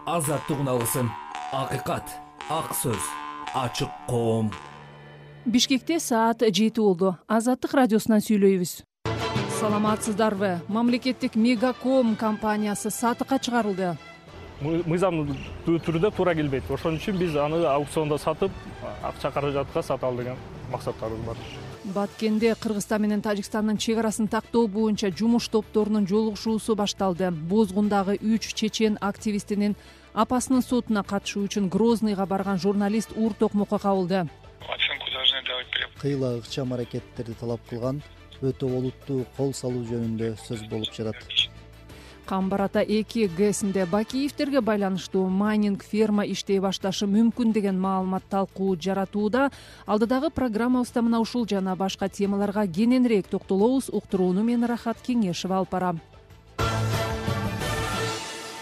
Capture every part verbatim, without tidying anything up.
азаттык уналысын, акыйкат, ак сөз, ачык коом. Бишкекте саат жети болду. Азаттык радиосунан сүйлөйбүз. Саламатсыздарбы? Мамлекеттик Мегаком компаниясы сатыкка чыгарылды. Мыйзам түрүндө туура келбейт. Ошон үчүн биз аны аукциондо сатып, акча каражатка сата ал деген максаттарыбыз бар. Баткенде Кыргызстан менен Тажикстандын чек арасын тактоо боюнча жумуш топторунун жолугушуусу башталды. Бозгундагы үч чечен активистинин апасынын сотуна катышуу үчүн Грозныйга барган журналист уур токмокко кабылды. Кыйла ыкчам аракеттерди талап кылган өтө олуттуу кол салуу жөнүндө сөз болуп жатат. Камбар ата эки ГЭСинде Бакиевтерге байланыштуу майнинг ферма иштей башташы мүмкүн деген маалымат талкуу жаратууда. Алдыдагы программабызда мына ушул жана башка темаларга кененирээк токтолобуз. Уктурууну мен Рахат Кеңешева алып барам.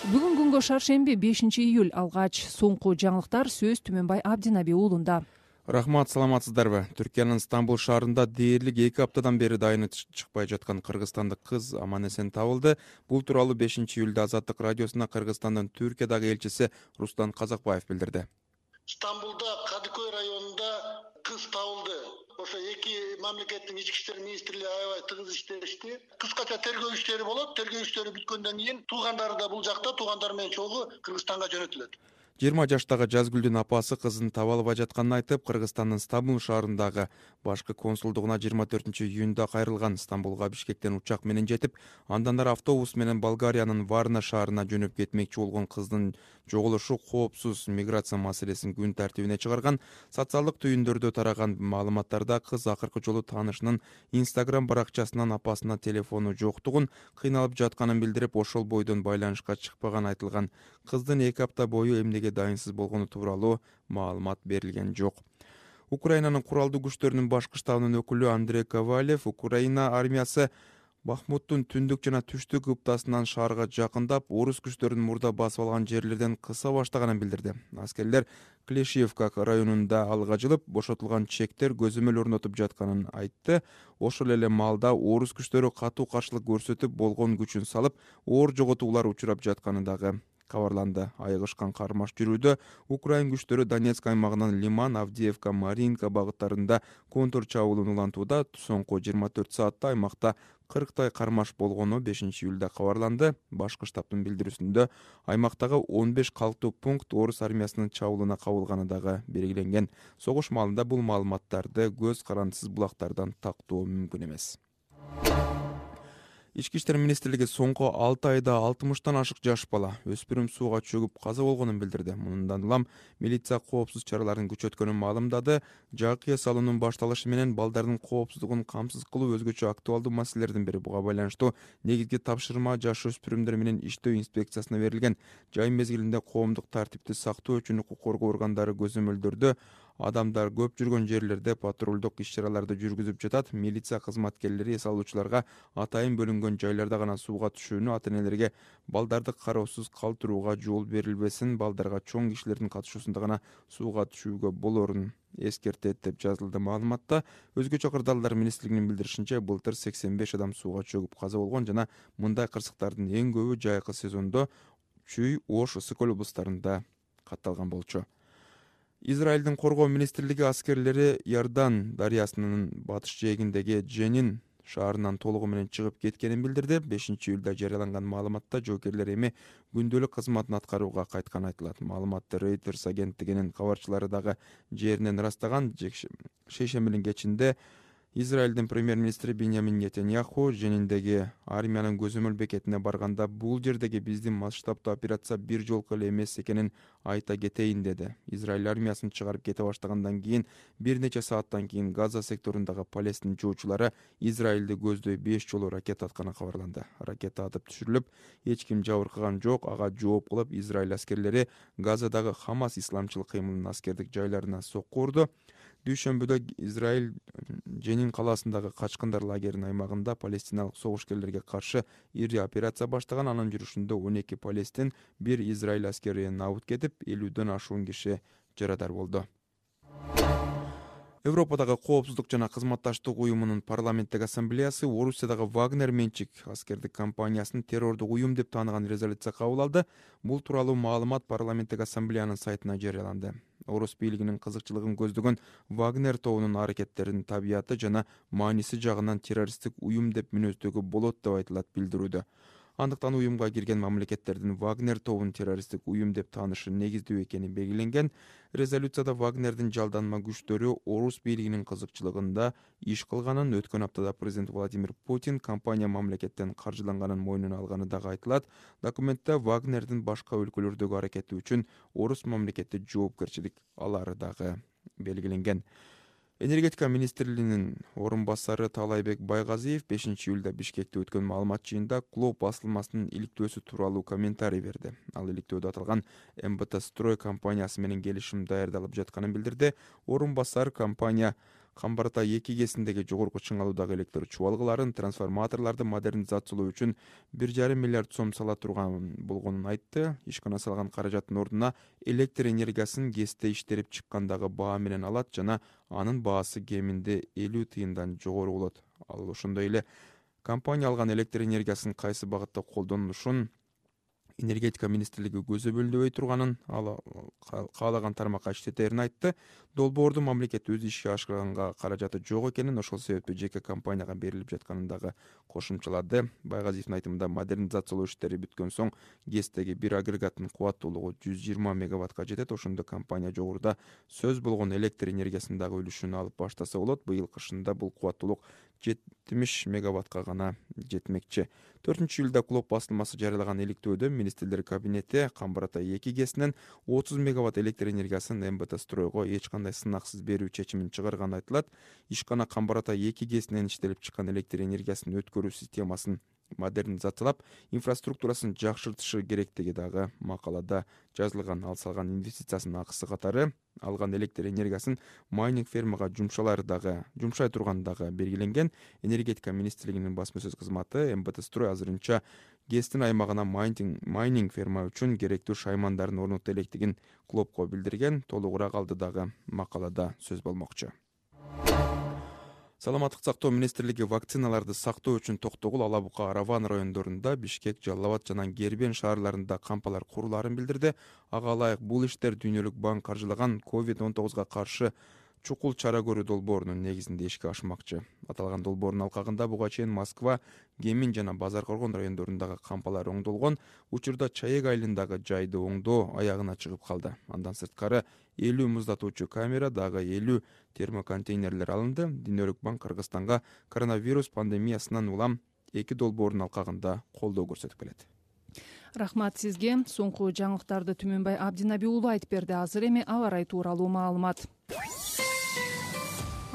Бүгүн күнгө шаршемби бешинчи июль алгач соңку жаңылыктар сөз Түмөнбай Абдинаби уулунда. Рахмат, саламатсыздарбы? Түркиянын Стамбул шаарында дээрлик эки аптадан бери дайыны чыкпай жаткан кыргызстандык кыз аман эсен табылды. Бул тууралуу бешинчи июлда Азаттык радиосуна Кыргызстандын Түркиядагы элчиси Рустан Казакбаев билдирди. Стамбулда Кадыкөй районунда кыз табылды. Ошо эки мамлекеттин ички иштер министрлиги аябай тыгыз иштешти. Кыскача тергөө иштери болот. Тергөө иштери бүткөндөн кийин туугандары да бул жакта, туугандары менен чогуу Кыргызстанга жөнөтүлөт. жыйырма жаштагы Жазгүлдүн апасы кызын таба албай жатканын айтып, Кыргызстандын Стамбул шаарындагы башкы консулдугуна жыйырма төртүнчү июнда кайрылган. Стамбулга Бишкектен учак менен жетип, андан ары автобус менен Болгариянын Варна шаарына жөнөп кетмекчи болгон кыздын жоголушу коопсуз миграция маселесин күн тартибине чыгарган. Социалдык түйүндөрдө тараган маалыматтарда кыз акыркы жолу таанышынын Instagram баракчасынан апасына телефону жоктугун, кыйналып жатканын билдирип, ошол бойдон байланышка чыкпаганы айтылган. Кыздын эки апта бою эмнеге дайынсыз болгону тууралуу маалымат берилген жок. Украинанын куралдуу күчтөрүнүн башкы штабынын өкүлү Андрей Ковалев Украина армиясы Бахмуттун түндүк жана түштүк ыптасынан шаарга жакындап, орус күчтөрүнүн мурда басып алган жерлерден кыса баштаганын билдирди. Аскерлер Клешиевка районунда алга жылып, бошотулган чектер көзөмөл орнотуп жатканын айтты. Ошол эле маалда орус күчтөрү катуу каршылык көрсөтүп, болгон күчүн салып, оор жоготуулар учурап жатканы дагы кабарланды. Айыгышкан кармаш жүрүүдө Украин күчтөрү Донецк аймагынан Лиман, Авдеевка, Маринка багыттарында контр чабуулун улантууда. Соңку жыйырма төрт саатта аймакта кырктай кармаш болгону бешинчи июлда кабарланды. Башкы штабтын билдирүүсүндө аймактагы он беш калктуу пункт орус армиясынын чабуулуна кабылганы дагы белгиленген. Согуш маалында бул маалыматтарды көз карандысыз булактардан тактоо мүмкүн эмес. Ички иштер министрлиги соңку алты айда алтымыштан ашык жаш бала өспүрүм сууга чөгүп каза болгонун билдирди. Мындан улам милиция коопсуз чараларын күчөткөнүн маалымдады. Жакыя салуунун башталышы менен балдардын коопсуздугун камсыз кылуу өзгөчө актуалдуу маселелердин бири. Буга байланыштуу негизги тапшырма жаш өспүрүмдөр менен иштөө инспекциясына берилген. Жай мезгилинде коомдук тартипти сактоо үчүн укук коргоо органдары көзөмөлдөрдө адамдар көп жүргөн жерлерде патрулдук иш-чараларды жүргүзүп жатат. Милиция кызматкерлери эс алуучуларга атайын бөлүнгөн жайларда гана сууга түшүүнү, ата-энелерге балдарды кароосуз калтырууга жол берилбесин, балдарга чоң кишилердин катышуусунда гана сууга түшүүгө болорун эскертет деп жазылды маалыматта. Өзгөчө кырдаалдар министрлигинин билдиришинче, былтыр сексен беш адам сууга чөгүп каза болгон жана мындай кырсыктардын эң көбү жайкы сезондо Чүй, Ош, Ысык-Көл облустарында катталган болчу. Израилдин коргоо министрлиги аскерлери Иордан дарыясынын батыш жээгиндеги Дженин шаарынан толугу менен чыгып кеткенин билдирди. бешинчи июлда жарыяланган маалыматта жоокерлер эми күндөлүк кызматын аткарууга кайтканы айтылат. Маалыматты Reuters агенттигинин кабарчылары дагы жеринен ырастаган. Шейшембинин кечинде Израилдин премьер-министри Биньямин Нетаньяху Жениндеги армиянын көзөмөл бекетине барганда, бул жердеги биздин масштабтуу операция бир жолку эле эмес экенин айта кетейин деди. Израиль армиясын чыгарып кете баштагандан кийин бир нече сааттан кийин Газа секторундагы Палестин жоочулары Израилди көздөй беш жолу ракета атканы кабарланды. Ракета атып түшүрүлүп, эч ким жабыркаган жок. Ага жооп кылып Израиль аскерлери Газадагы Хамас исламчыл кыймылынын аскердик жайларына сокку урду. Дүйшөмбүдө Израиль Женин калаасындагы качкындар лагеринин аймагында палестиналык согушкерлерге каршы ири операция баштаган. Анын жүрүшүндө он эки палестин, бир Израиль аскери набыт кетип, элүүдөн ашуун киши жарадар болду. Европадагы коопсуздук жана кызматташтык уюмунун парламенттик ассамблеясы Орусиядагы Вагнер менчик аскердик компаниясын террордук уюм деп тааныган резолюция кабыл алды. Бул тууралуу маалымат парламенттик ассамблеянын сайтына жарыяланды. Орус бийлигинин кызыкчылыгын көздөгөн Вагнер тобунун аракеттеринин табияты жана мааниси жагынан террористтик уюм деп мүнөздөгө болот деп айтылат билдирүүдө. Андыктан уюмга кирген мамлекеттердин Вагнер тобун террористтик уюм деп таанышы негиздүү экени белгиленген. Резолюцияда Вагнердин жалданма күчтөрү орус бийлигинин кызыкчылыгында иш кылганын, өткөн аптада президент Владимир Путин компания мамлекеттен каржыланганын мойнуна алганы дагы айтылат. Документте Вагнердин башка өлкөлөрдөгү аракети үчүн орус мамлекети жоопкерчилик алары дагы белгиленген. Энергетика министрлигинин орун басары Таалайбек Байгазиев бешинчи июлда Бишкекте өткөн маалымат жыйынында Клоп басылмасынын иликтөөсү тууралуу комментарий берди. Ал иликтөөдө аталган эм бэ тэ Строй компаниясы менен келишим даярдалып жатканын билдирди. Орун басар компания Камбарата эки кесиндеги жогорку чыңалуудагы электр чубалгыларын, трансформаторлорду модернизациялоо үчүн бир жарым миллиард сом сала турган болгонун айтты. Ишкана салган каражаттын ордуна электр энергиясын ГЭСте иштерип чыккандагы баа менен алат жана анын баасы кеминде элүү тыйындан жогору болот. Ал ошондой эле компания алган электр энергиясын кайсы багытта колдонушун энергетика министрлиги көзөмөлдөбөй турганын, ал каалаган тармакка иштетерин айтты. Долбоорду мамлекет өз ишке ашырганга каражаты жок экенин, ошол себептүү жеке компанияга берилип жатканын дагы кошумчалады. Байгазиевдин айтымында модернизациялоо иштери бүткөн соң ГЭСтеги бир агрегаттын кубаттуулугу жүз жыйырма мегаваттка жетет. Ошондо компания жогоруда сөз болгон электр энергиясындагы үлүшүн алып баштаса болот. Быйыл кышында бул кубаттуулук жетимиш мегаваттка гана жетмекчи. төртүнчү июлда Клоп басылмасы жарыялаган иликтөөдө министрлер кабинети Камбарата эки ГЭСинен отуз мегаватт электр энергиясын эм бэ тэ Стройго эч кандай сынаксыз берүү чечимин чыгарганы айтылат. Ишкана Камбарата эки ГЭСинен иштелип чыккан электр энергиясын өткөрүү системасын модернизациялап, инфраструктурасын жакшыртышы керектиги дагы макалада жазылган. Ал салган инвестициясынын акысы катары алган электр энергиясын майнинг фермага жумшалары дагы жумшай турганы дагы белгиленген. Энергетика министрлигинин басма сөз кызматы эм бэ тэ Строй азырынча ГЭСтин аймагына майнинг, майнинг ферма үчүн керектүү шаймандарын орнотто электигин Клопко билдирген. Толугураак алды дагы макалада сөз болмокчу. Саламаттык сактоо министрлиги вакциналарды сактоо үчүн Токтогул, Ала Бука, Араван райондорунда, Бишкек, Жалал Абад жана Гербен шаарларында кампалар курулаарын билдирди. Ага ылайык бул иштер Дүйнөлүк банк каржылаган ковид он тогузга каршы чукул чара көрүү долбоорунун негизинде ишке ашмакчы. Аталган долбоордун алкагында буга чейин Москва, Кемин жана Базар Коргон райондорундагы кампалар оңдолгон. Учурда Чаек айылындагы жайды оңдоо аягына чыгып калды. Андан сырткары элүү муздатуучу камера, дагы элүү термоконтейнерлер алынды. Дүйнөлүк банк Кыргызстанга коронавирус пандемиясынан улам эки долбоордун алкагында колдоо көрсөтүп келет. Рахмат сизге. Соңку жаңылыктарды Түмөнбай Абдинаби уулу айтып берди. Азыр эми аба ырайы тууралуу маалымат.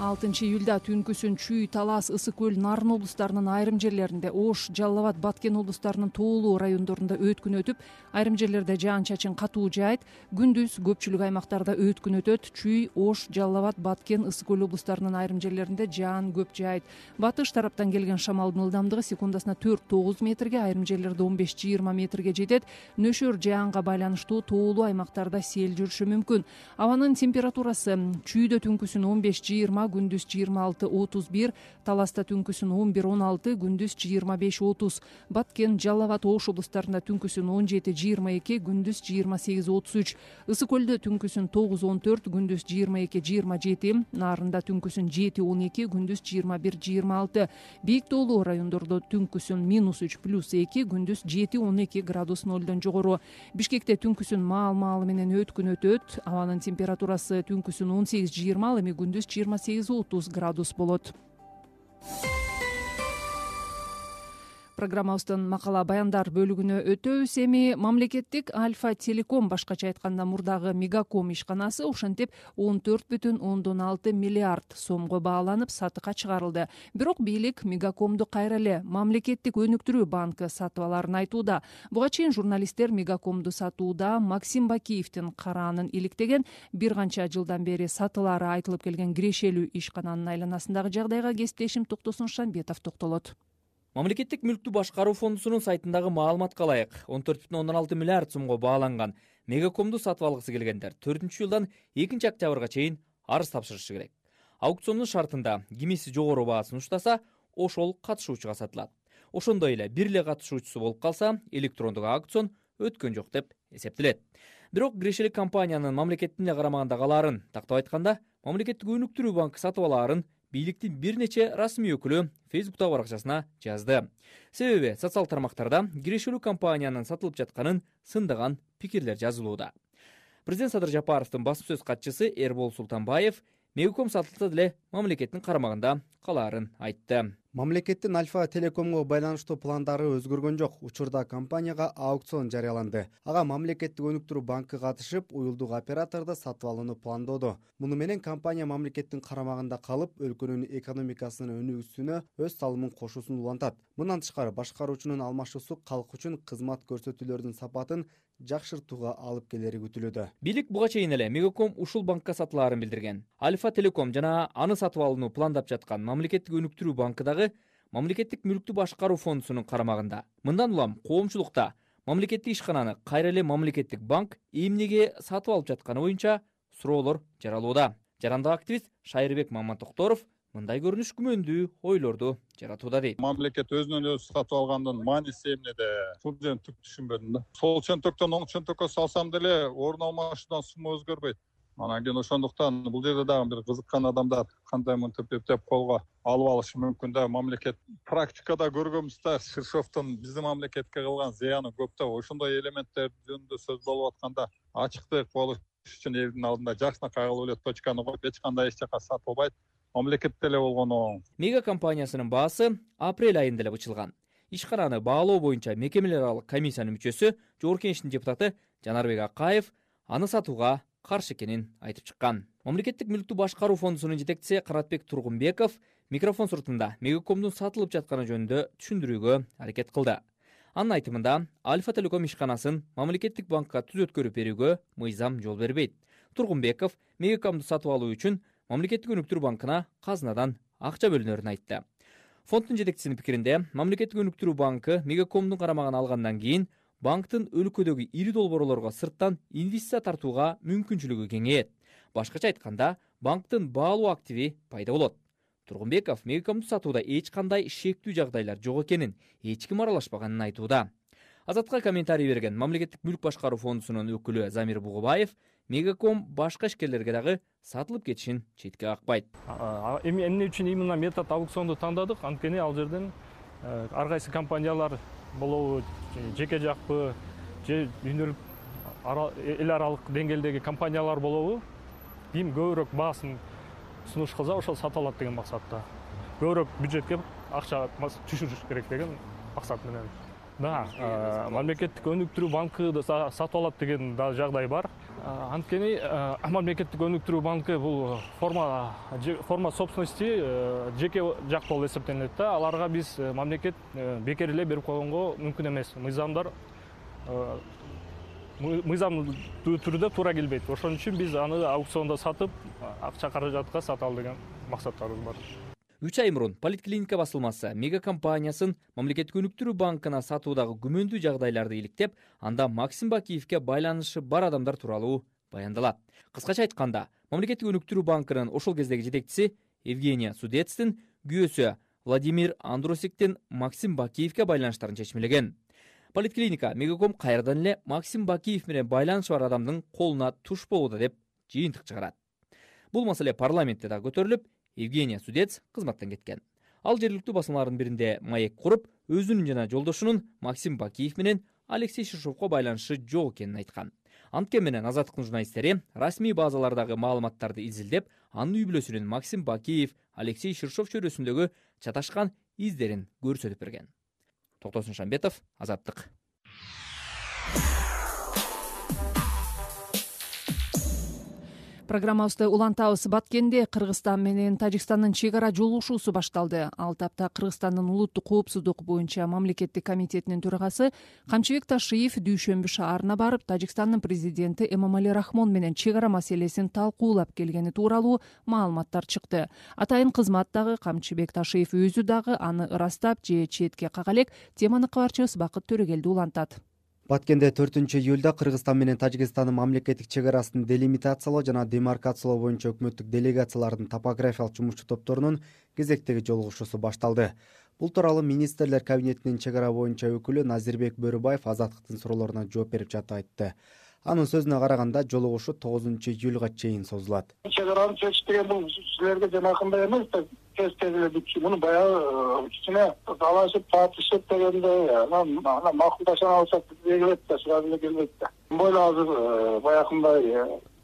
алтынчы июлда түнкүсүн Чүй, Талас, Ысык көл, Нарын облустарынын айрым жерлеринде, Ош, Жалал Абад, Баткен облустарынын тоолуу райондорунда өткүн өтүп, айрым жерлерде жаан-чачын катуу жаайт. Күндүз көпчүлүк аймактарда өткүн өтөт. Чүй, Ош, Жалал Абад, Баткен, Ысык көл облустарынын айрым жерлеринде жаан көп жаайт. Батыш тараптан келген шамалдын ылдамдыгы секундасына төрт тогуз метрге, айрым жерлерде он беш жыйырма метрге жетет. Нөшөр жаанга байланыштуу тоолуу аймактарда сел жүрүшү мүмкүн. Абанын температурасы Чүйдө түнкүсүн он беш жыйырма, күндүз жыйырма алты отуз бир, Таласта түнкүсүн он бир он алты, күндүз жыйырма беш отуз, Баткен, Жалал Абад, Ош облустарында түнкүсүн он жети жыйырма эки, күндүз жыйырма сегиз отуз үч, Ысык көлдө түнкүсүн тогуз он төрт, күндүз жыйырма эки жыйырма жети, Нарында түнкүсүн жети он эки, күндүз жыйырма бир жыйырма алты, Бийик тоолуу райондордо түнкүсүн минус үч плюс эки, күндүз жети он эки градус нолдон жогору. Бишкекте түнкүсүн маал-маалы менен өткүн өтөт. Абанын температурасы түнкүсүн он сегиз жыйырма, эми күндүз жыйырма сегиз отуз градус болот. Программабыздын макала баяндар бөлүгүнө өтөбүз. Эми мамлекеттик Альфа Телеком, башкача айтканда мурдагы Мегаком ишканасы ошентип он төрт бүтүн ондон алты миллиард сомго бааланып сатыкка чыгарылды. Бирок бийлик Мегакомду кайра эле мамлекеттик өнүктүрүү банкы сатып аларын айтууда. Буга чейин журналисттер Мегакомду сатууда Максим Бакиевдин караанын иликтеген, бир канча жылдан бери сатылары айтылып келген кирешелүү ишкананын айланасындагы жагдайга кесиптешим Токтосун Шамбетов токтолот. Мамлекеттик мүлктү башкаруу фондусунун сайтындагы маалыматка ылайык он төрт бүтүн ондон алты миллиард сомго бааланган Мегакомду сатып алгысы келгендер төртүнчү жылдан экинчи октябрга чейин арыз тапшырышы керек. Аукциондун шартында кимиси жогору баа сунуштаса, ошол катышуучуга сатылат. Ошондой эле бир эле катышуучусу болуп калса, электрондук аукцион өткөн жок деп эсептелет. Бирок кирешелик компаниянын мамлекеттин эле карамагында калаарын тактап айтканда, мамлекеттик өнүктүрүү банкы сатып алаарын бийликтин бир нече расмий өкүлү Фейсбуктагы баракчасына жазды. Себеби социал тармактарда кирешелүү компаниянын сатылып жатканын сындаган пикирлер жазылууда. Президент Садыр Жапаровдун басма сөз катчысы Эрбол Султанбаев Мегаком сатылса деле мамлекеттин карамагында калаарын айтты. Мамлекеттин Альфа Телекомго байланыштуу пландары өзгөргөн жок. Учурда компанияга аукцион жарыяланды. Ага мамлекеттик өнүктүрүү банкы катышып, уюлдук операторду сатып алууну пландоодо. Муну менен компания мамлекеттин карамагында калып, өлкөнүн экономикасынын өнүгүүсүнө өз салымын кошуусун улантат. Мындан тышкары башкаруучунун алмашуусу калк үчүн кызмат көрсөтүүлөрдүн сапатын жакшыртууга алып келери күтүлүүдө. Бийлик буга чейин эле Мегаком ушул банкка сатылаарын билдирген. Альфа Телеком жана аны сатып алууну пландап жаткан мамлекеттик өнүктүрүү банкы дагы мамлекеттик мүлктү башкаруу фондусунун карамагында. Мындан улам коомчулукта мамлекеттик ишкананы кайра эле мамлекеттик банк эмнеге сатып алып жатканы боюнча суроолор жаралууда. Жарандык активист Шайырбек Мамантокторов мындай көрүнүш күмөндүү ойлорду жаратууда дейт. Мамлекет өзүнөн өзү сатып алгандын мааниси эмнеде? Бул жерин түк түшүнбөдүм да. Сол чөнтөктөн оң чөнтөккө салсам деле орун алмашуудан сума өзгөрбөйт. Анан кийин ошондуктан бул жерде дагы бир кызыккан адамдар кандай мынтип эптеп колго алып алышы мүмкүн да. Мамлекет практикада көргөнбүз да, Ширшовдун биздин мамлекетке кылган зыяны көп да. Ошондой элементтер жөнүндө сөз болуп атканда ачыктык болуш үчүн элдин алдында жакшынакай кылып эле точканы коюп, эч кандай эч жака сатылбайт. Мамлекетте эле болгону. Мега компаниясынын баасы апрель айында эле бычылган. Ишкананы баалоо боюнча мекемелер аралык комиссиянын мүчөсү, Жогорку Кеңештин депутаты Жанарбек Акаев аны сатууга каршы экенин айтып чыккан. Мамлекеттик мүлктү башкаруу фондусунун жетекчиси Каратбек Тургунбеков микрофон суртунда Мегакомдун сатылып жатканы жөнүндө түшүндүрүүгө аракет кылды. Анын айтымында, Альфа Телеком ишканасын мамлекеттик банкка түз өткөрүп берүүгө мыйзам жол бербейт. Тургунбеков Мегакомду сатып алуу үчүн мамлекеттик өнүктүрүү банкына казынадан акча бөлүнөрүн айтты. Фонддун жетекчисинин пикиринде, мамлекеттик өнүктүрүү банкы Мегакомдун карамагына алгандан кийин банктын өлкөдөгү ири долбоорлорго сырттан инвестиция тартууга мүмкүнчүлүгү кеңейет. Башкача айтканда, банктын баалуу активи пайда болот. Тургунбеков Мегакомду сатууда эч кандай шектүү жагдайлар жок экенин, эч ким аралашпаганын айтууда. Азатка комментарий берген мамлекеттик мүлк башкаруу фондусунун өкүлү Замир Бугубаев Мегаком башка ишкерлерге дагы сатылып кетишин четке какпайт. Эмне үчүн именно метод аукционду тандадык? Анткени ал жерден ар кайсы компаниялар болобу, жеке жакпы, же дүйнөлүк эл аралык деңгээлдеги компаниялар болобу, ким көбүрөөк баасын сунуш кылса, ошол сата алат деген максатта. Көбүрөөк бюджетке акча түшүрүш керек деген максат менен. Да, мамлекеттик өнүктүрүү банкы сатып алат деген да жагдай бар. Анткени мамлекеттик өнүктүрүү банкы бул форма форма собственности жеке жак болуп эсептелет да. Аларга биз мамлекет бекер эле берип койгонго мүмкүн эмес. Мыйзамдар мыйзамдуу түрдө туура келбейт. Ошон үчүн биз аны аукциондо сатып, акча каражатка сата ал деген максаттарыбыз бар. үч ай мурун Политклиника басылмасы Мега компаниясын мамлекеттик өнүктүрүү банкына сатуудагы күмөндүү жагдайларды иликтеп, анда Максим Бакиевке байланышы бар адамдар тууралуу баяндалат. Кыскача айтканда, мамлекеттик өнүктүрүү банкынын ошол кездеги жетекчиси Евгения Судецтин күйөөсү Владимир Андросиктин Максим Бакиевке байланыштарын чечмелеген. Политклиника Мегаком кайрадан эле Максим Бакиев менен байланышы бар адамдын колуна туш болууда деп жыйынтык чыгарат. Бул маселе парламентте да көтөрүлүп, Евгения Судец кызматтан кеткен. Ал жергиликтүү басмалардын биринде маек куруп, өзүнүн жана жолдошунун Максим Бакиев менен Алексей Ширшовго байланышы жок экенин айткан. Анткени менен Азаттыктын журналисттери расмий базалардагы маалыматтарды изилдеп, анын үй бүлөсүнүн Максим Бакиев, Алексей Ширшов чөйрөсүндөгү чаташкан издерин көрсөтүп берген. Токтосун Шамбетов, Азаттык. Программабызды улантабыз. Баткенде Кыргызстан менен Тажикстандын чек ара жолугушуусу башталды. Ал тапта Кыргызстандын улуттук коопсуздук боюнча мамлекеттик комитетинин төрагасы Камчыбек Ташиев Дүйшөмбү шаарына барып, Тажикстандын президенти Эмомали Рахмон менен чек ара маселесин талкуулап келгени тууралуу маалыматтар чыкты. Атайын кызмат дагы Камчыбек Ташиев өзү дагы аны ырастап же четке кага элек. Теманы кабарчыбыз Бакыт Төрөгелди улантат. Баткенде төртүнчү июлда Кыргызстан менен Тажикстандын мамлекеттик чек арасын делимитациялоо жана демаркациялоо боюнча өкмөттүк делегациялардын топографиялык жумушчу топторунун кезектеги жолугушуусу башталды. Бул тууралуу министрлер кабинетинин чек ара боюнча өкүлү Назирбек Бөрүбаев Азаттыктын суроолоруна жооп берип жатып айтты. Анын сөзүнө караганда жолугушуу тогузунчу июлга чейин созулат. Чек араны чечиш деген бул силерге жанакындай эмес да, тез тез эле бүт. Муну баягы кичине талашып, тартышып дегендей, анан анан макулдашып алсак келет да, сразу эле келбейт да. Бойло азыр баягындай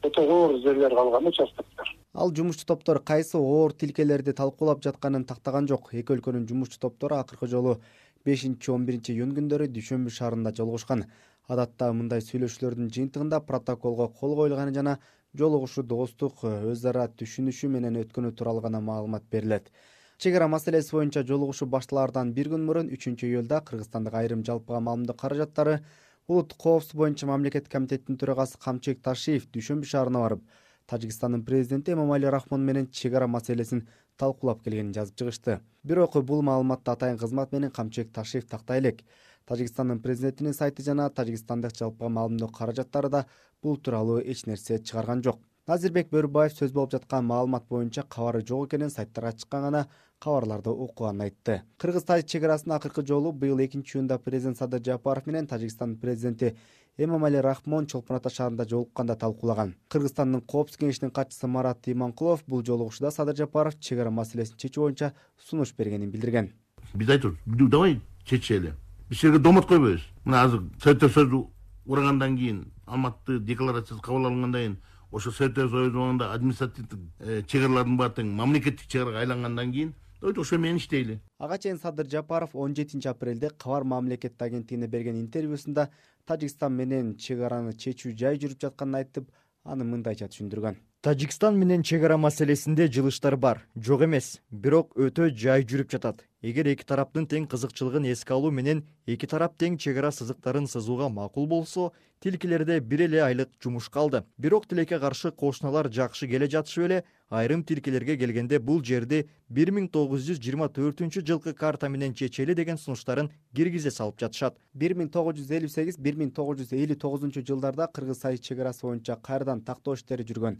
өтө оор жерлер калган участоктор. Ал жумушчу топтор кайсы оор тилкелерди талкуулап жатканын тактаган жок. Эки өлкөнүн жумушчу топтору акыркы жолу бешинчи он биринчи июнь күндөрү Дүйшөмбү шаарында жолугушкан. Адатта мындай сүйлөшүүлөрдүн жыйынтыгында протоколго кол коюлганы жана жолугушуу достук, өз ара түшүнүшүү менен өткөнү тууралуу гана маалымат берилет. Чек ара маселеси боюнча жолугушуу башталаардан бир күн мурун үчүнчү июлда Кыргызстандык айрым жалпыга маалымдоо каражаттары улуттук коопсуздук боюнча мамлекеттик комитеттин төрагасы Камчек Ташиев Дүйшөмбү шаарына барып, Тажикстандын президенти Эмомали Рахмон менен чек ара маселесин талкуулап келгенин жазып чыгышты. Бирок бул маалыматты атайын кызмат менен Камчек Ташиев тактай элек. Тажикстандын президентинин сайты жана Тажикстандык жалпыга маалымдоо каражаттары да бул тууралуу эч нерсе чыгарган жок. Назирбек Бөрүбаев сөз болуп жаткан маалымат боюнча кабары жок экенин, сайттарга чыккан гана кабарларды окуганын айтты. Кыргыз-Тажик чек арасына акыркы жолу быйыл экинчи июнда президент Садыр Жапаров менен Тажикстандын президенти Эмомали Рахмон Чолпон Ата шаарында жолукканда талкуулаган. Кыргызстандын коопсуздук кеңешинин катчысы Марат Иманкулов бул жолугушууда Садыр Жапаров чек ара маселесин чечүү боюнча сунуш бергенин билдирген. Биз айтабыз, давай чечели. Биз жерге домот койбойбуз. Мына азыр Советтер Союзу урагандан кийин, Алматы декларациясы кабыл алынгандан кийин, ошо Советтер Союзунда административдик чек аралардын баары тең мамлекеттик чек арага айлангандан кийин ошо менен иштейли. Ага чейин Садыр Жапаров он жетинчи апрелде Кабар мамлекеттик агенттигине берген интервьюсунда Тажикстан менен чек араны чечүү жай жүрүп жатканын айтып, аны мындайча түшүндүргөн. Тажикстан менен чек ара маселесинде жылыштар бар, жок эмес, бирок өтө жай жүрүп жатат. Эгер эки тараптын тең кызыкчылыгын эске алуу менен эки тарап тең чек ара сызыктарын сызууга макул болсо, тилкелерде бир эле айлык жумуш калды. Бирок тилекке каршы кошуналар жакшы келе жатышып эле, айрым тилкелерге келгенде бул жерди бир миң тогуз жүз жыйырма төртүнчү жылкы карта менен чечели деген сунуштарын киргизе салып жатышат. бир миң тогуз жүз элүү сегиз — бир миң тогуз жүз элүү тогузунчу жылдарда Кыргыз-Тажик чек арасы боюнча кайрадан тактоо иштери жүргөн.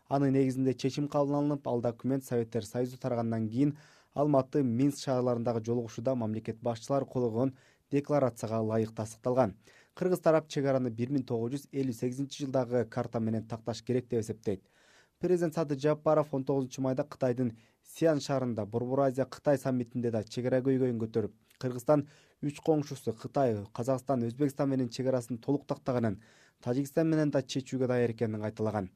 Анын негизинде чечим кабыл алынып, ал документ Советтер Союзу тарагандан кийин Алматы, Минск шаарларындагы жолугушууда мамлекет башчылары кол койгон декларацияга ылайык тастыкталган. Кыргыз тарап чек араны бир миң тогуз жүз элүү сегизинчи жылдагы карта менен такташ керек деп эсептейт. Президент Садыр Жапаров он тогузунчу майда Кытайдын Сиан шаарында Борбор Азия Кытай саммитинде да чек ара көйгөйүн көтөрүп, Кыргызстан үч коңшусу Кытай, Казакстан, Өзбекстан менен чек арасын толук тактаганын, Тажикстан менен да чечүүгө даяр экенин кайталаган.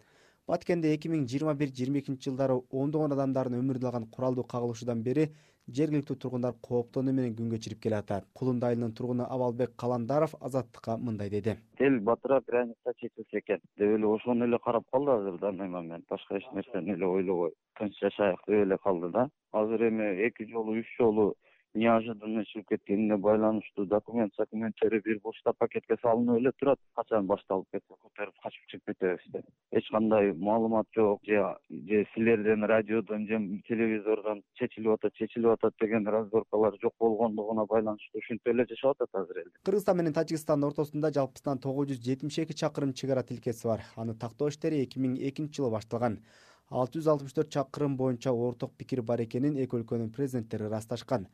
Баткенде эки миң жыйырма бир — жыйырма экинчи жылдары ондогон адамдардын өмүрүн алган куралдуу кагылышуудан бери жергиликтүү тургундар кооптонуу менен күн кечирип келатат. Кулунда айылынын тургуну Абалбек Каландаров Азаттыкка мындай деди. Эл батырап граница чечилсе экен деп эле ошону эле карап калды азыр данный момент. Башка эч нерсени эле ойлобой тынч жашайык деп эле калды да. Азыр эми эки жолу, үч жолу неожиданно чыгып кеткенине байланыштуу документ документтери бир бушта пакетке салынып эле турат. Качан башталып кетсе көтөрүп качып чыгып кетебиз деп. Эч кандай маалымат жок, же же силерден радиодон же телевизордон чечилип атат, чечилип атат деген разборкалар жок болгондугуна байланыштуу ушинтип эле жашап атат азыр эл. Кыргызстан менен Тажикстандын ортосунда жалпысынан тогуз жүз жетимиш эки чакырым чек ара тилкеси бар. Аны тактоо иштери эки миң экинчи жылы башталган. алты жүз алтымыш төрт чакырым боюнча орток пикир бар экенин эки өлкөнүн президенттери ырасташкан.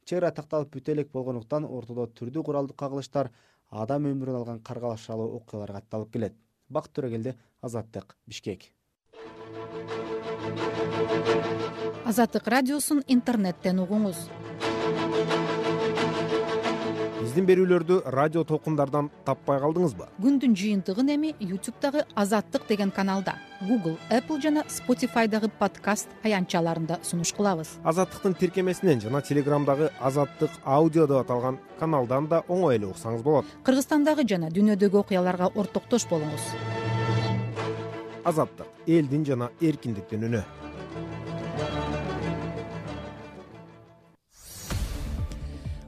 Чек ара такталып бүтө элек болгондуктан ортодо түрдүү куралдуу кагылыштар, адам өмүрүн алган каргалашалуу окуялар катталып келет. Бакыт Төрөгелди, Азаттык, Бишкек. Азаттык радиосун интернеттен угуңуз. Биздин берүүлөрдү радио толкундардан таппай калдыңызбы? Күндүн жыйынтыгын эми YouTube'дагы Азаттык деген каналда, Google, Apple жана Spotify'дагы подкаст аянтчаларында сунуш кылабыз. Азаттыктын тиркемесинен жана Телеграмдагы Азаттык аудио деп аталган каналдан да оңой эле уксаңыз болот. Кыргызстандагы жана дүйнөдөгү окуяларга ортоктош болуңуз. Азаттык — элдин жана эркиндиктин үнү.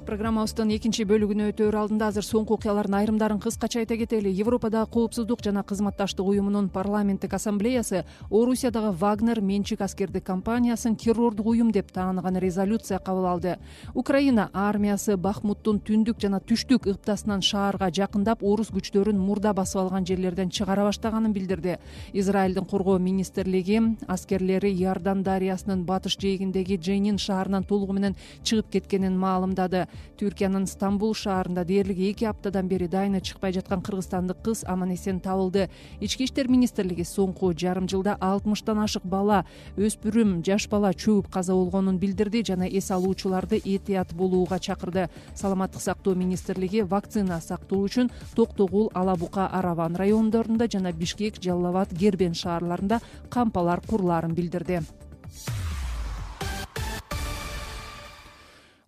Программабыздын экинчи бөлүгүнө өтөөр алдында азыр соңку окуялардын айрымдарын кыскача айта кетели. Европадагы коопсуздук жана кызматташтык уюмунун парламенттик ассамблеясы Орусиядагы Вагнер менчик аскердик компаниясын террордук уюм деп тааныган резолюция кабыл алды. Украина армиясы Бахмуттун түндүк жана түштүк ыптасынан шаарга жакындап, орус күчтөрүн мурда басып алган жерлерден чыгара баштаганын билдирди. Израилдин коргоо министрлиги аскерлери Иордан дарыясынын батыш жээгиндеги Дженин шаарынан толугу менен чыгып кеткенин маалымдады. Түркиянын Стамбул шаарында дээрлик эки аптадан бери дайыны чыкпай жаткан кыргызстандык кыз аман эсен табылды. Ички иштер министрлиги соңку жарым жылда алтымыштан ашык бала, өспүрүм, жаш бала чөгүп каза болгонун билдирди жана эс алуучуларды этият болууга чакырды. Саламаттык сактоо министрлиги вакцина сактоо үчүн Токтогул, Ала Бука, Араван райондорунда жана Бишкек, Жалал Абад, Гербен шаарларында кампалар курулаарын билдирди.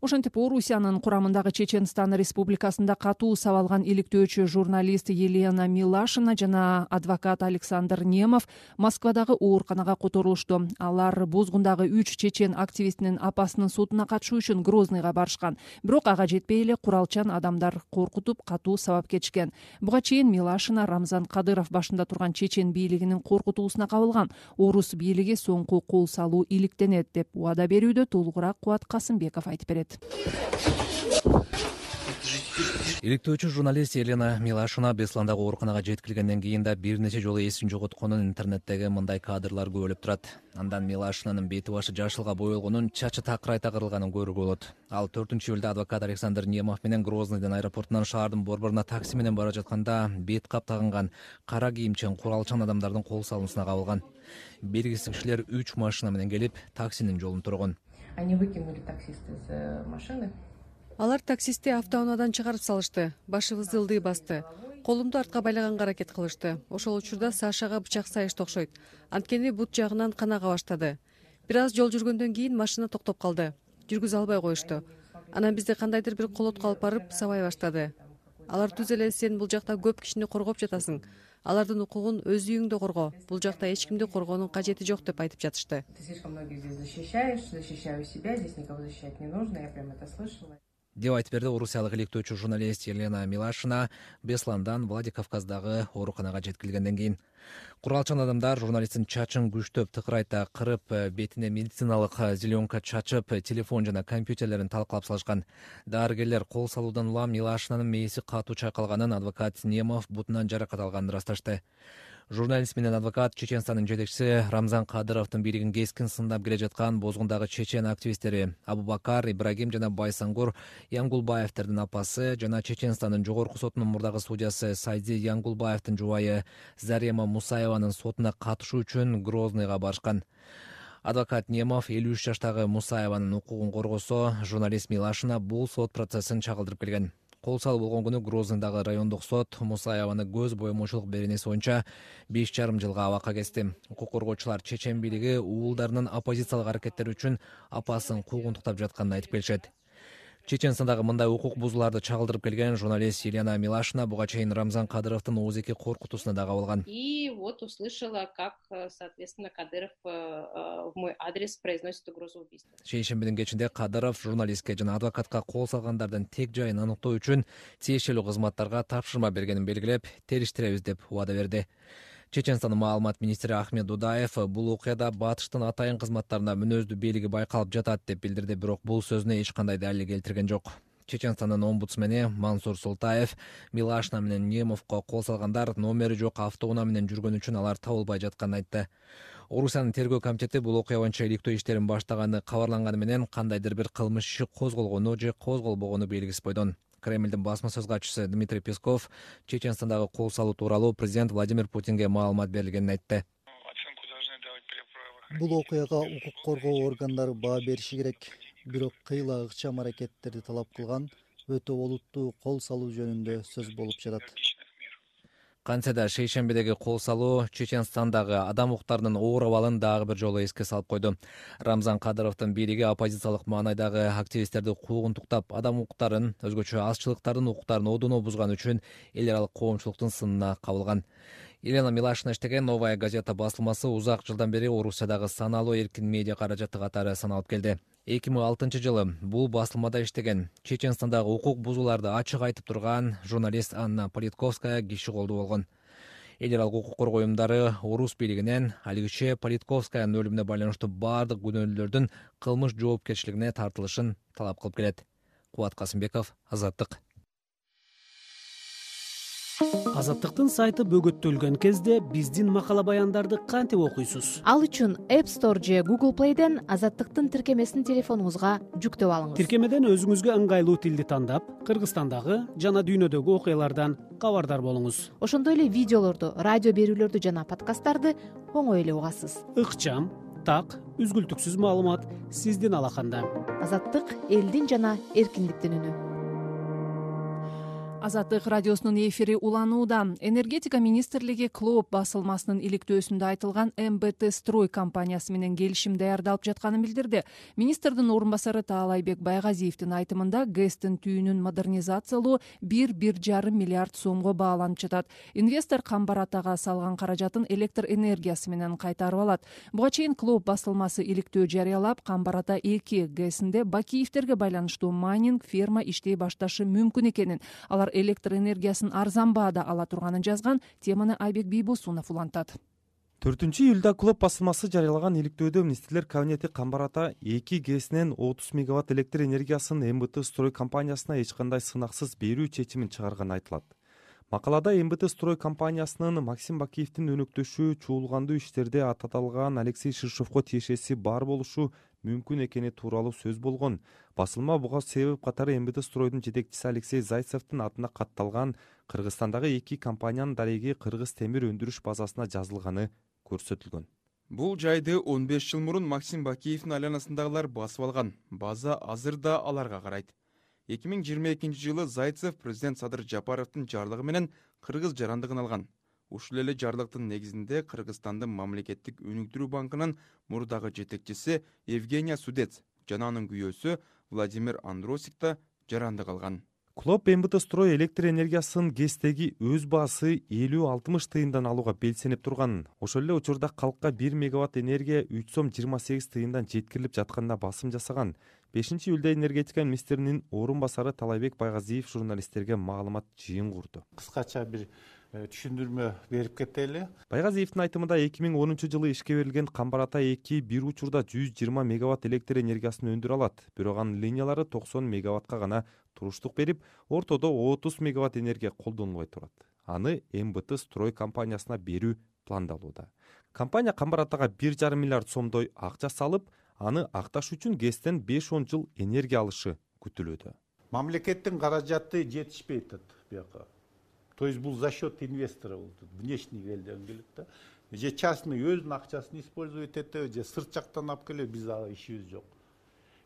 Ошентип Орусиянын курамындагы Чеченстан республикасында катуу сабалган иликтөөчү журналист Елена Милашина жана адвокат Александр Немов Москвадагы ооруканага которулушту. Алар Бозгундагы үч чечен активистинин апасынын сотуна катышуу үчүн Грозныйга барышкан. Бирок ага жетпей эле куралчан адамдар коркутуп катуу сабап кетишкен. Буга чейин Милашина Рамзан Кадыров башында турган чечен бийлигинин коркутуусуна кабылган. Орус бийлиги соңку кол салуу иликтенет деп убада берүүдө. Толугураак Кубат Касымбеков айтып берет. Иликтөөчү журналист Елена Милашина Бесландагы ооруканага жеткирилгенден кийин да бир нече жолу эсин жоготконун интернеттеги мындай кадрлар көбөлүп турат. Андан Милашинанын бети башы жашылга боелгонун, чачы такырайта кырылганын көрүүгө болот. Ал төртүнчү июлда адвокат Александр Немов менен Грознойдон аэропортунан шаардын борборуна такси менен бара жатканда бет кап тагынган кара кийимчен куралчан адамдардын кол салуусуна кабылган. Белгисиз кишилер үч машина менен келип таксинин жолун тургон. Они выкинули таксиста из машины. Алар таксисти автоунаадан чыгарып салышты. Башыбызды ылдый басты. Колумду артка байлаганга аракет кылышты. Ошол учурда Сашага бычак сайышты окшойт. Анткени бут жагынан кан ага баштады. Бир аз жол жүргөндөн кийин машина токтоп калды. Жүргүзө албай коюшту. Анан бизди кандайдыр бир колотко алып барып сабай баштады. Алар түз эле сен бул жакта көп кишини коргоп жатасың. Алардын укугун өз үйүңдө корго. Бул жакта эч кимди коргоонун кажети жок деп айтып жатышты. Ты слишком многих здесь защищаешь, защищаю себя, здесь никого защищать не нужно, я прям это слышала. Деп айтып берди орусиялык иликтөөчү журналист Елена Милашина Бесландан Владикавказдагы ооруканага жеткирилгенден кийин. Куралчан адамдар журналисттин чачын күчтөп тыкырайта кырып, бетине медициналык зеленка чачып, телефон жана компьютерлерин талкалап салышкан. Дарыгерлер кол салуудан улам Милашинанын мээси катуу чайкалганын, адвокат Немов бутунан жаракат алганын ырасташты. Журналист менен адвокат Чеченстандын жетекчиси Рамзан Кадыровдун бийлигин кескин сындап келе жаткан Бозгундагы чечен активисттери Абубакар, Ибрагим жана Байсангур Янгулбаевдердин апасы жана Чеченстандын жогорку сотунун мурдагы судьясы Сайди Янгулбаевдин жубайы Зарема Мусаеванын сотуна катышуу үчүн Грознойго барышкан. Адвокат Немов элүү үч жаштагы Мусаеванын укугун коргосо, журналист Милашина бул сот процессин чагылдырып келген. Кол салуу болгон күнү Грознойдагы райондук сот Мусаеваны көз боемочулук беренеси боюнча беш жарым жылга абакка кести. Укук коргоочулар чечен бийлиги уулдарынын оппозициялык аракеттери үчүн апасын куугунтуктап жатканын айтып келишет. Чеченстандагы мындай укук бузууларды чагылдырып келген журналист Елена Милашина буга чейин Рамзан Кадыровдун ооз эки коркутуусуна да кабылган. И вот услышала, как, соответственно, Кадыров в мой адрес произносит угрозу убийства. Шейшембинин кечинде Кадыров журналистке жана адвокатка кол салгандардын тек жайын аныктоо үчүн тиешелүү кызматтарга тапшырма бергенин белгилеп, териштиребиз деп убада берди. Чеченстандын маалымат министри Ахмед Дудаев бул окуяда батыштын атайын кызматтарында мүнөздүү бийлиги байкалып жатат деп билдирди, бирок бул сөзүнө эч кандай далил келтирген жок. Чеченстандын омбудсмени Мансур Султаев Милашина менен Немовго кол салгандар номери жок автоунаа менен жүргөн үчүн алар табылбай жатканын айтты. Орусиянын тергөө комитети бул окуя боюнча иликтөө иштерин баштаганы кабарланганы менен кандайдыр бир кылмыш иши козголгону же козголбогону белгисиз бойдон. Кремлдин басма сөз катчысы Дмитрий Песков Чеченстандагы кол салуу тууралуу президент Владимир Путинге маалымат берилгенин айтты. Бул окуяга укук коргоо органдары баа бериши керек. Бирок кыйла ыкчам аракеттерди талап кылган өтө олуттуу кол салуу жөнүндө сөз болуп жатат. Кантсе да шейшембидеги кол салуу Чеченстандагы адам укуктарынын оор абалын дагы бир жолу эске салып койду. Рамзан Кадыровдун бийлиги оппозициялык маанайдагы активисттерди куугунтуктап, адам укуктарын, өзгөчө азчылыктардын укуктарын одоно бузган үчүн эл аралык коомчулуктун сынына кабылган. Елена Милашина иштеген «Новая газета» басылмасы узак жылдан бери Орусиядагы саналуу эркин медиа каражаты катары саналып келди. эки миң алтынчы жылы бул басылмада иштеген, Чеченстандагы укук бузууларды ачык айтып турган журналист Анна Политковская киши колдуу болгон. Эл аралык укук коргоо уюмдары Орус бийлигинен алигиче Политковскаянын өлүмүнө байланыштуу бардык күнөөлүүлөрдүн кылмыш жоопкерчилигине тартылышын талап кылып келет. Кубат Касымбеков, Азаттык. Азаттыктын сайты бөгөттөлгөн кезде биздин макала баяндарды кантип окуйсуз? Ал үчүн App Store же Google Play'ден Азаттыктын тиркемесин телефонуңузга жүктөп алыңыз. Тиркемеден өзүңүзгө ыңгайлуу тилди тандап, Кыргызстандагы жана дүйнөдөгү окуялардан кабардар болуңуз. Ошондой эле видеолорду, радио берүүлөрдү жана подкасттарды оңой эле угасыз. Ыкчам, так, үзгүлтүксүз маалымат сиздин алаканда. Азаттык элдин жана эркиндиктин үнү. Азаттык радиосунун эфири уланууда. Энергетика министрлиги Клоп басылмасынын иликтөөсүндө айтылган эм бэ тэ Строй компаниясы менен келишим даярдалып жатканын билдирди. Министрдин орун басары Таалайбек Байгазиевдин айтымында ГЭСтин түйүнүн модернизациялоо бир бир жарым миллиард сомго бааланып жатат. Инвестор Камбар Атага салган каражатын электр энергиясы менен кайтарып алат. Буга чейин Клоп басылмасы иликтөө жарыялап, Камбар Ата эки ГЭСинде Бакиевтерге байланыштуу майнинг ферма иштей башташы мүмкүн экенин, алар электр энергиясын арзан баада ала турганын жазган. Теманы Айбек Бийбосунов улантат. төртүнчү июлда Клоп басылмасы жарыялаган иликтөөдө министрлер кабинети Камбар Ата эки ГЭСинен отуз мегаватт электр энергиясын эм бэ тэ Строй компаниясына эч кандай сынаксыз берүү чечимин чыгарганы айтылат. Макалада эм бэ тэ Строй компаниясынын Максим Бакиевдин өнөктөшү чуулгандуу иштерде ататалган Алексей Ширшовго тиешеси бар болушу мүмкүн экени тууралуу сөз болгон. Басылма буга себеп катары эм бэ тэ Стройдун жетекчиси Алексей Зайцевдин атына катталган Кыргызстандагы эки компаниянын дареги Кыргыз темир өндүрүш базасына жазылганы көрсөтүлгөн. Бул жайды он беш жыл мурун Максим Бакиевдин айланасындагылар басып алган. База азыр да аларга карайт. эки миң жыйырма экинчи жылы Зайцев президент Садыр Жапаровдун жарлыгы менен Кыргыз жарандыгын алган. Ушул эле жарлыктын негизинде Кыргызстандын мамлекеттик өнүктүрүү банкынын мурдагы жетекчиси Евгения Судец жана анын күйөөсү Владимир Андросик да жарандык алган. Клоп эм бэ тэ Строй электр энергиясын ГЭСтеги өз баасы элүү алтымыш тыйындан алууга белсенип турганын, ошол эле учурда калкка бир мегаватт энергия үч сом жыйырма сегиз тыйындан жеткирилип жатканына басым жасаган. бешинчи июлда энергетика министринин орун басары Таалайбек Байгазиев журналисттерге маалымат жыйын курду. Кыскача бир түшүндүрмө берип кетели. Байгазиевдин айтымында эки миң онунчу жылы ишке берилген Камбар Ата эки бир учурда жүз жыйырма мегаватт электр энергиясын өндүрө алат. Бирок анын линиялары токсон мегаваттка гана туруштук берип, ортодо отуз мегаватт энергия колдонулбой турат. Аны эм бэ тэ Строй компаниясына берүү пландалууда. Компания Камбар Атага бир жарым миллиард сомдой акча салып, аны акташ үчүн ГЭСтен беш он жыл энергия алышы күтүлүүдө. Мамлекеттин каражаты жетишпей атат бияка. То есть бул за счет инвестора болду. Внешний элден келет да. Же частный өзүнүн акчасын использовать этет, же сырт жактан алып келет, биз ага ишибиз жок.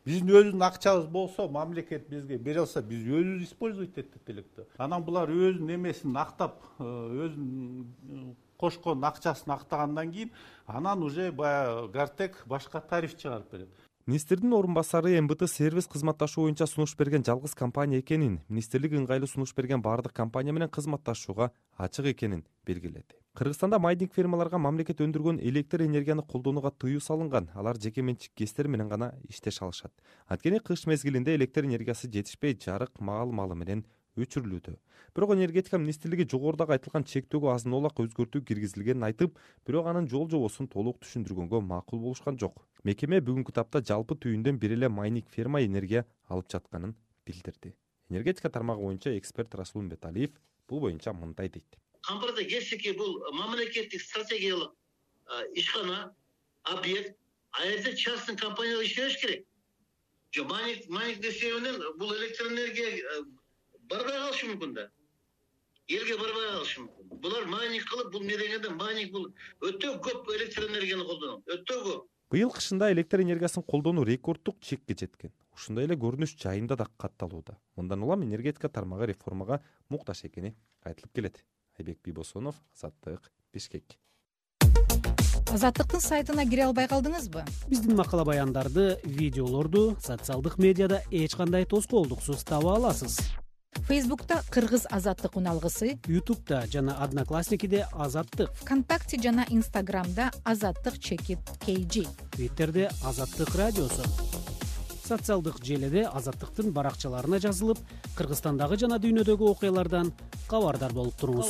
Биздин өзүнүн акчабыз болсо, мамлекет бизге бере алса, биз өзүбүз использовать этет элек да. Анан булар өзүнүн эмесин актап, өзүнүн кошкон акчасын актагандан кийин, анан уже баягы Гартек башка тариф чыгарып берет. Министрдин орун басары эм бэ тэ сервис кызматташуу боюнча сунуш берген жалгыз компания экенин, министрлик ыңгайлуу сунуш берген бардык компания менен кызматташууга ачык экенин белгиледи. Кыргызстанда майнинг фермаларга мамлекет өндүргөн электр энергияны колдонууга тыюу салынган. Алар жеке менчик ГЭСтер менен гана иштеше алышат. Анткени кыш мезгилинде электр энергиясы жетишпей, жарык маал-малы менен өчүрүлүүдө. Бирок энергетика министрлиги жогорудагы айтылган чектөөгө азын олак өзгөртүү киргизилгенин айтып, бирок анын жол жобосун толук түшүндүргөнгө макул болушкан жок. Мекеме бүгүнкү тапта жалпы түйүндөн бир эле майнинг ферма энергия алып жатканын билдирди. Энергетика тармагы боюнча эксперт Расул Умбеталиев бул боюнча мындай дейт. Камбарда ГЭСтеги бул мамлекеттик стратегиялык ишкана, объект, а жерде частный компания иштеш керек. Жо майнинг майнинг десебинен бул электр энергия барбай калышы мүмкүн да. Элге барбай калышы мүмкүн. Булар майнинг кылып, бул медегенде майнинг бул өтө көп электр энергияны колдонот. Өтө көп. Быйыл кышында электр энергиясын колдонуу рекорддук чекке жеткен. Ушундай эле көрүнүш жайында да катталууда. Мындан улам энергетика тармагы реформага муктаж экени айтылып келет. Айбек Бийбосунов, Азаттык, Бишкек. Азаттыктын сайтына кире албай калдыңызбы? Биздин макала баяндарды, видеолорду социалдык медиада эч кандай тоскоолдуксуз таба аласыз. Фейсбукта кыргыз азаттык уналгысы, ютубта жана одноклассникиде азаттык, вконтакте жана инстаграмда азаттык чекит kg, твиттерде азаттык радиосу, социалдык желиде азаттыктын баракчаларына жазылып, Кыргызстандагы жана дүйнөдөгү окуялардан кабардар болуп туруңуз.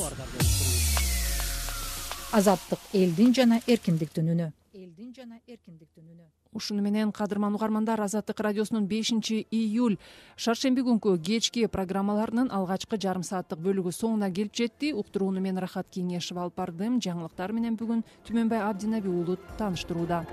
Азаттык элдин жана эркиндиктин үнү. Элдин жана эркиндиктин үнү. Ушуну менен кадырман угармандар, Азаттык радиосунун бешинчи июль шаршемби күнкү кечки программаларынын алгачкы жарым сааттык бөлүгү соңуна келип жетти. Уктурууну мен Рахат Кеңешов алып бардым. Жаңылыктар менен бүгүн Түмөнбай Абдинаби уулу тааныштырууда.